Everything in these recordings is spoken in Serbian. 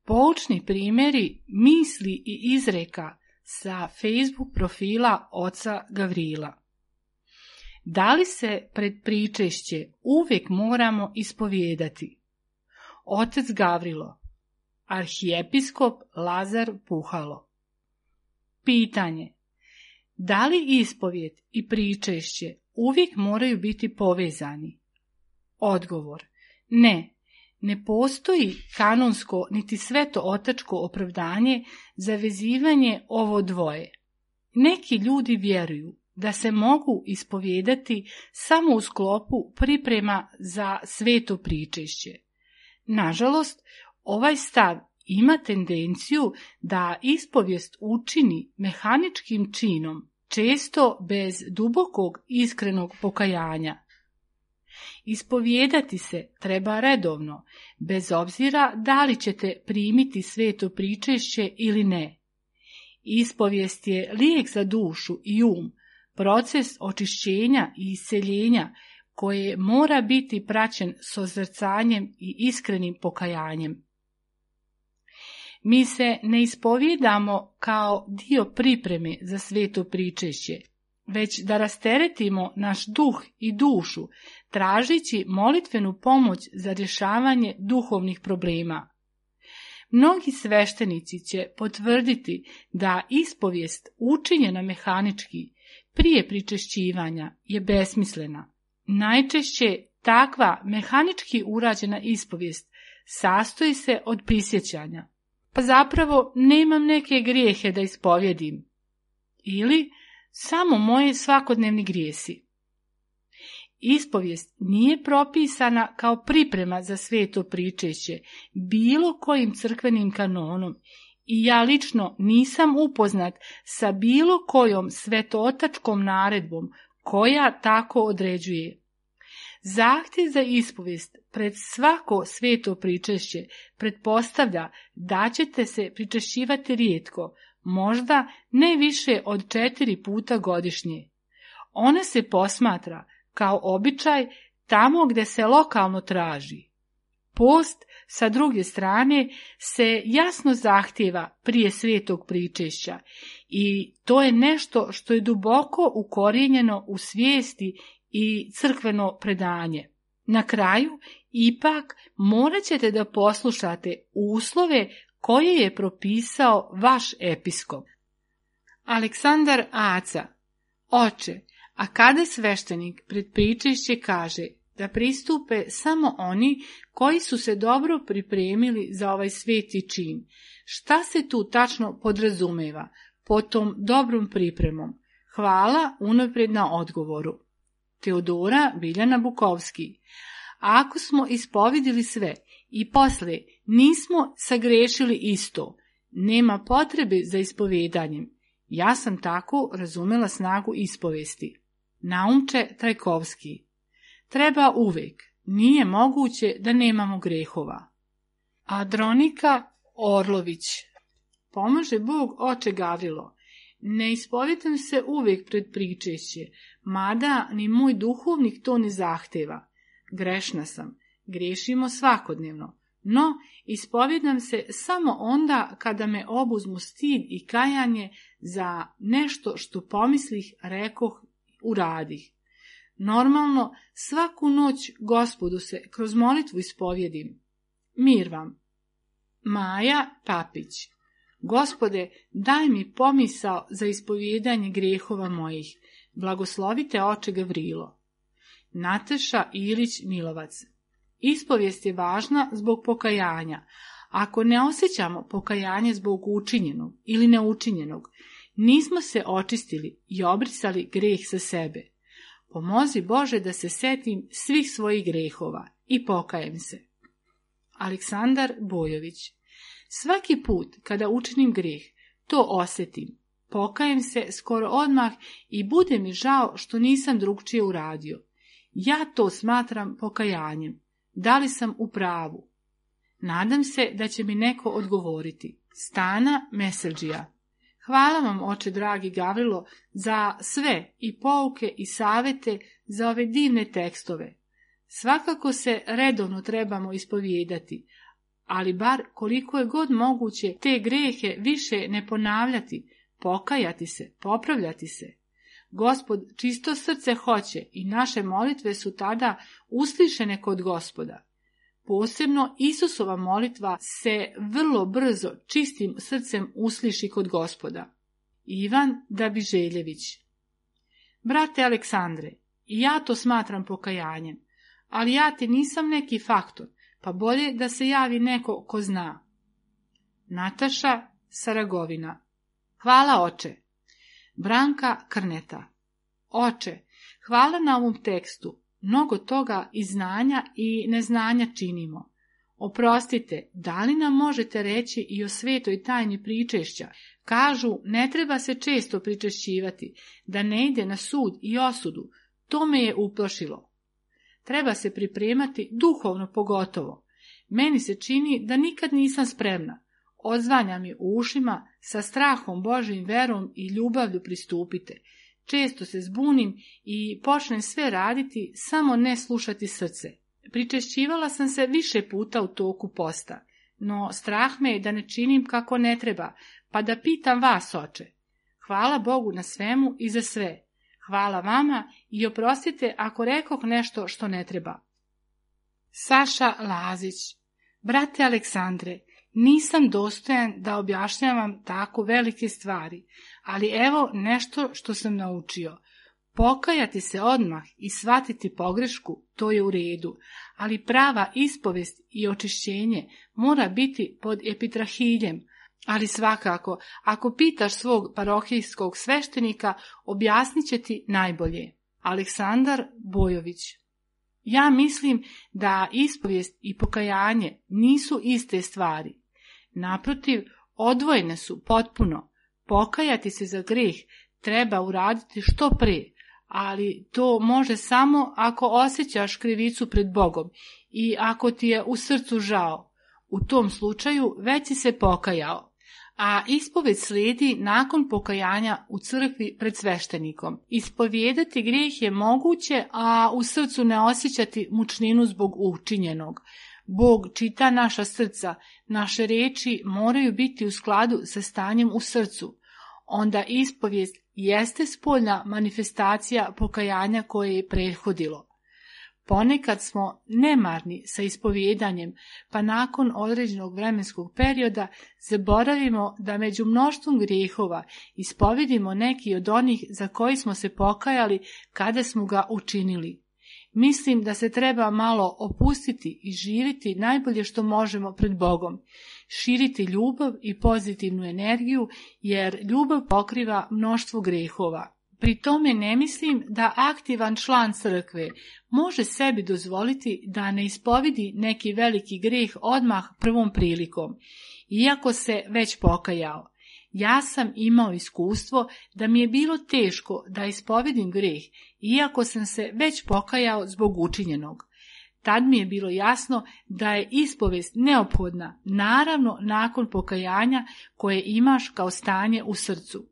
Poučni primjeri misli i izreka sa Facebook profila oca Gavrila. Da li se pred pričešće uvijek moramo ispovijedati? Otac Gavrilo, arhijepiskop Lazar Puhalo. Pitanje: da li ispovijed i pričešće uvijek moraju biti povezani? Odgovor: ne. Ne postoji kanonsko niti sveto-otačko opravdanje za vezivanje ovo dvoje. Neki ljudi vjeruju da se mogu ispovijedati samo u sklopu priprema za sveto pričešće. Nažalost, ovaj stav ima tendenciju da ispovijest učini mehaničkim činom, često bez dubokog iskrenog pokajanja. Ispovijedati se treba redovno, bez obzira da li ćete primiti sveto pričešće ili ne. Ispovijest je lijek za dušu i proces očišćenja i isceljenja koje mora biti praćen sozrcanjem i iskrenim pokajanjem. Mi se ne ispovijedamo kao dio pripreme za sveto pričešće, već da rasteretimo naš duh i dušu, tražeći molitvenu pomoć za rješavanje duhovnih problema. Mnogi sveštenici će potvrditi da ispovijest učinjena mehanički prije pričešćivanja je besmislena. Najčešće takva mehanički urađena ispovijest sastoji se od prisjećanja. Pa zapravo nemam neke grijehe da ispovjedim. Ili samo moje svakodnevni grijesi. Ispovijest nije propisana kao priprema za sveto pričešće bilo kojim crkvenim kanonom i ja lično nisam upoznat sa bilo kojom svetootačkom naredbom koja tako određuje. Zahtjev za ispovijest pred svako sveto pričešće pretpostavlja da ćete se pričešćivati rijetko, možda ne više od 4 puta godišnje. Ona se posmatra kao običaj tamo gdje se lokalno traži. Post, sa druge strane, se jasno zahtijeva prije svetog pričešća i to je nešto što je duboko ukorijenjeno u svijesti i crkveno predanje. Na kraju, ipak, morat ćete da poslušate uslove koje je propisao vaš episkop. Aleksandar Aca: Oče, a kada sveštenik pred pričešće kaže da pristupe samo oni koji su se dobro pripremili za ovaj sveti čin, šta se tu tačno podrazumeva pod tom dobrom pripremom? Hvala unaprijed na odgovoru. Teodora Biljana Bukovski: ako smo ispovidili sve i poslije nismo sagrešili isto, nema potrebe za ispovedanjem. Ja sam tako razumela snagu ispovesti. Naumče Trajkovski: treba uvijek, nije moguće da nemamo grehova. Adronika Orlović: pomaže Bog, oče Gavrilo. Ne ispovijedam se uvijek pred pričešće, mada ni moj duhovnik to ne zahteva. Grešna sam, griješimo svakodnevno, no ispovijedam se samo onda kada me obuzmu stid i kajanje za nešto što pomislih, rekoh, uradih. Normalno, svaku noć Gospodu se kroz molitvu ispovjedim. Mir vam. Maja Papić: Gospode, daj mi pomisao za ispovjedanje grijehova mojih. Blagoslovite oče Gavrilo. Nataša Ilić Milovac: ispovijest je važna zbog pokajanja. Ako ne osjećamo pokajanje zbog učinjenog ili neučinjenog, nismo se očistili i obrisali greh sa sebe. Pomozi Bože da se setim svih svojih grehova i pokajem se. Aleksandar Bojović: svaki put kada učinim greh, to osjetim. Pokajem se skoro odmah i bude mi žao što nisam drugčije uradio. Ja to smatram pokajanjem. Da li sam u pravu? Nadam se da će mi neko odgovoriti. Stana Meseldžija: hvala vam, oče dragi Gavrilo, za sve i pouke i savete za ove divne tekstove. Svakako se redovno trebamo ispovijedati, ali bar koliko je god moguće te grehe više ne ponavljati, pokajati se, popravljati se. Gospod čisto srce hoće i naše molitve su tada uslišene kod Gospoda. Posebno Isusova molitva se vrlo brzo čistim srcem usliši kod Gospoda. Ivan Dabiželjević. Brate Aleksandre, i ja to smatram pokajanjem, ali ja ti nisam neki faktor, pa bolje da se javi neko ko zna. Nataša Saragovina. Hvala oče. Branka Krneta. Oče, hvala na ovom tekstu. Mnogo toga i znanja i neznanja činimo. Oprostite, da li nam možete reći i o svetoj tajni pričešća? Kažu, ne treba se često pričešćivati, da ne ide na sud i osudu. To me je uplašilo. Treba se pripremati duhovno pogotovo. Meni se čini da nikad nisam spremna. Odzvanja mi u ušima, sa strahom Božjim verom i ljubavlju pristupite. Često se zbunim i počnem sve raditi, samo ne slušati srce. Pričešćivala sam se više puta u toku posta, no strah me je da ne činim kako ne treba, pa da pitam vas, oče. Hvala Bogu na svemu i za sve. Hvala vama i oprostite ako rekoh nešto što ne treba. Saša Lazić. Brate Aleksandre, nisam dostojan da objašnjavam tako velike stvari, ali evo nešto što sam naučio. Pokajati se odmah i shvatiti pogrešku, to je u redu, ali prava ispovest i očišćenje mora biti pod epitrahiljem, ali svakako, ako pitaš svog parohijskog sveštenika, objasnit će ti najbolje. Aleksandar Bojović. Ja mislim da ispovijest i pokajanje nisu iste stvari. Naprotiv, odvojene su potpuno. Pokajati se za greh treba uraditi što pre, ali to može samo ako osjećaš krivicu pred Bogom i ako ti je u srcu žao. U tom slučaju već si se pokajao. A ispoved slijedi nakon pokajanja u crkvi pred sveštenikom. Ispovijedati grijeh je moguće, a u srcu ne osjećati mučninu zbog učinjenog. Bog čita naša srca, naše riječi moraju biti u skladu sa stanjem u srcu. Onda ispovijest jeste spoljna manifestacija pokajanja koje je prethodilo. Ponekad smo nemarni sa ispovjedanjem, pa nakon određenog vremenskog perioda zaboravimo da među mnoštvom grijehova ispovedimo neki od onih za koji smo se pokajali kada smo ga učinili. Mislim da se treba malo opustiti i živjeti najbolje što možemo pred Bogom, širiti ljubav i pozitivnu energiju, jer ljubav pokriva mnoštvo grehova. Pri tome ne mislim da aktivan član crkve može sebi dozvoliti da ne ispovidi neki veliki greh odmah prvom prilikom, iako se već pokajao. Ja sam imao iskustvo da mi je bilo teško da ispovedim greh, iako sam se već pokajao zbog učinjenog. Tad mi je bilo jasno da je ispovest neophodna, naravno nakon pokajanja koje imaš kao stanje u srcu.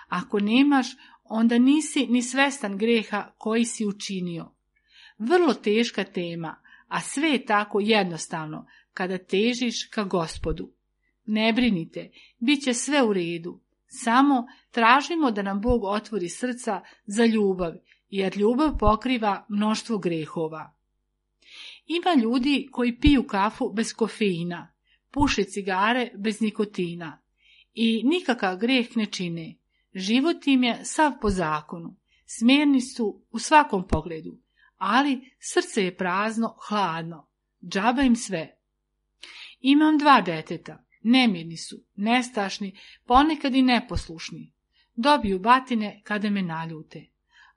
Ako nemaš, onda nisi ni svestan greha koji si učinio. Vrlo teška tema, a sve je tako jednostavno kada težiš ka Gospodu. Ne brinite, bit će sve u redu. Samo tražimo da nam Bog otvori srca za ljubav, jer ljubav pokriva mnoštvo grehova. Ima ljudi koji piju kafu bez kofeina, puše cigare bez nikotina i nikakav greh ne čine. Život im je sav po zakonu, smjerni su u svakom pogledu, ali srce je prazno, hladno, džaba im sve. Imam 2 djeteta, nemirni su, nestašni, ponekad i neposlušni. Dobiju batine kada me naljute.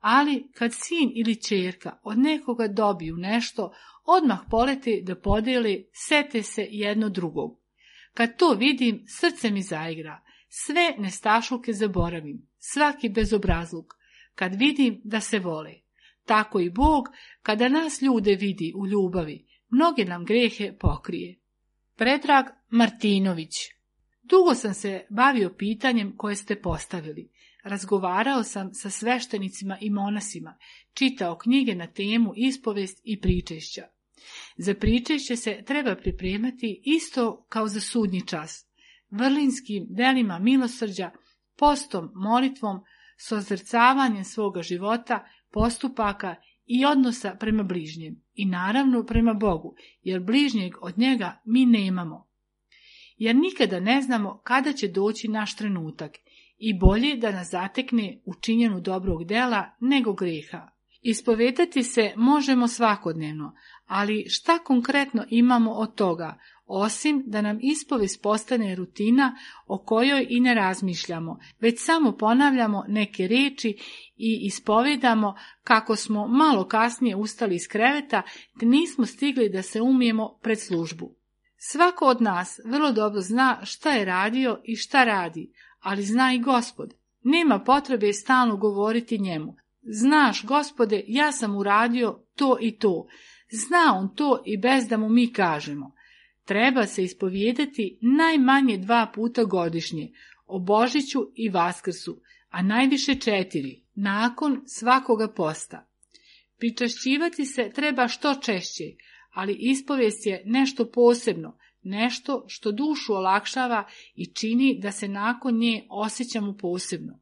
Ali kad sin ili ćerka od nekoga dobiju nešto, odmah polete da podijele, sete se jedno drugog. Kad to vidim, srce mi zaigra. Sve nestašluke zaboravim, svaki bezobrazluk, kad vidim da se vole. Tako i Bog, kada nas ljude vidi u ljubavi, mnoge nam grehe pokrije. Predrag Martinović. Dugo sam se bavio pitanjem koje ste postavili. Razgovarao sam sa sveštenicima i monasima, čitao knjige na temu ispovest i pričešća. Za pričešće se treba pripremati isto kao za sudnji čas, vrlinskim delima milosrđa, postom, molitvom, sozrcavanjem svoga života, postupaka i odnosa prema bližnjem i naravno prema Bogu, jer bližnjeg od njega mi nemamo. Jer nikada ne znamo kada će doći naš trenutak i bolje da nas zatekne u činjenju dobrog dela nego greha. Ispovedati se možemo svakodnevno, ali šta konkretno imamo od toga, osim da nam ispovest postane rutina o kojoj i ne razmišljamo, već samo ponavljamo neke riječi i ispovedamo kako smo malo kasnije ustali iz kreveta te nismo stigli da se umijemo pred službu. Svako od nas vrlo dobro zna šta je radio i šta radi, ali zna i Gospod. Nema potrebe stalno govoriti njemu. Znaš, Gospode, ja sam uradio to i to. Zna on to i bez da mu mi kažemo. Treba se ispovijedati najmanje 2 puta godišnje, o Božiću i Vaskrsu, a najviše 4, nakon svakoga posta. Pričašćivati se treba što češće, ali ispovijest je nešto posebno, nešto što dušu olakšava i čini da se nakon nje osjećamo posebno.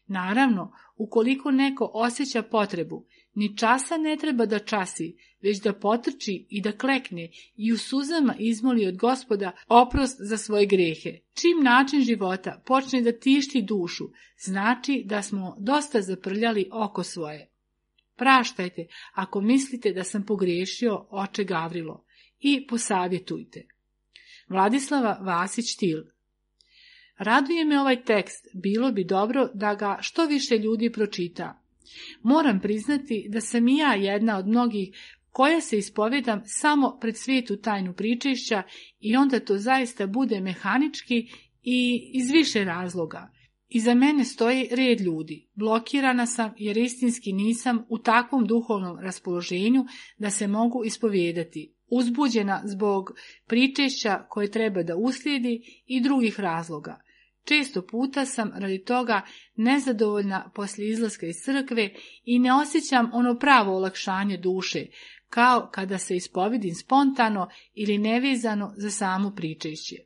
Naravno, ukoliko neko osjeća potrebu, ni časa ne treba da časi, već da potrči i da klekne i u suzama izmoli od Gospoda oprost za svoje grehe. Čim način života počne da tišti dušu, znači da smo dosta zaprljali oko svoje. Praštajte ako mislite da sam pogriješio, oče Gavrilo, i posavjetujte. Vladislava Vasić-Til. Raduje me ovaj tekst, bilo bi dobro da ga što više ljudi pročita. Moram priznati da sam i ja jedna od mnogih koja se ispovedam samo pred svetu tajnu pričešća i onda to zaista bude mehanički i iz više razloga. Iza mene stoji red ljudi. Blokirana sam jer istinski nisam u takvom duhovnom raspoloženju da se mogu ispovijedati. Uzbuđena zbog pričešća koje treba da uslijedi i drugih razloga. Često puta sam radi toga nezadovoljna poslije izlaska iz crkve i ne osjećam ono pravo olakšanje duše, kao kada se ispovidim spontano ili nevezano za samo pričešće.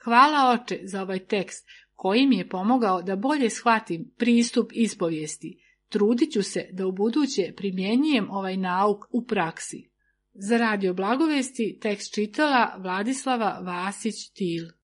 Hvala Oče za ovaj tekst koji mi je pomogao da bolje shvatim pristup ispovijesti. Trudit ću se da ubuduće primjenjujem ovaj nauk u praksi. Za Radio Blagovesti tekst čitala Vladislava Vasić-Til.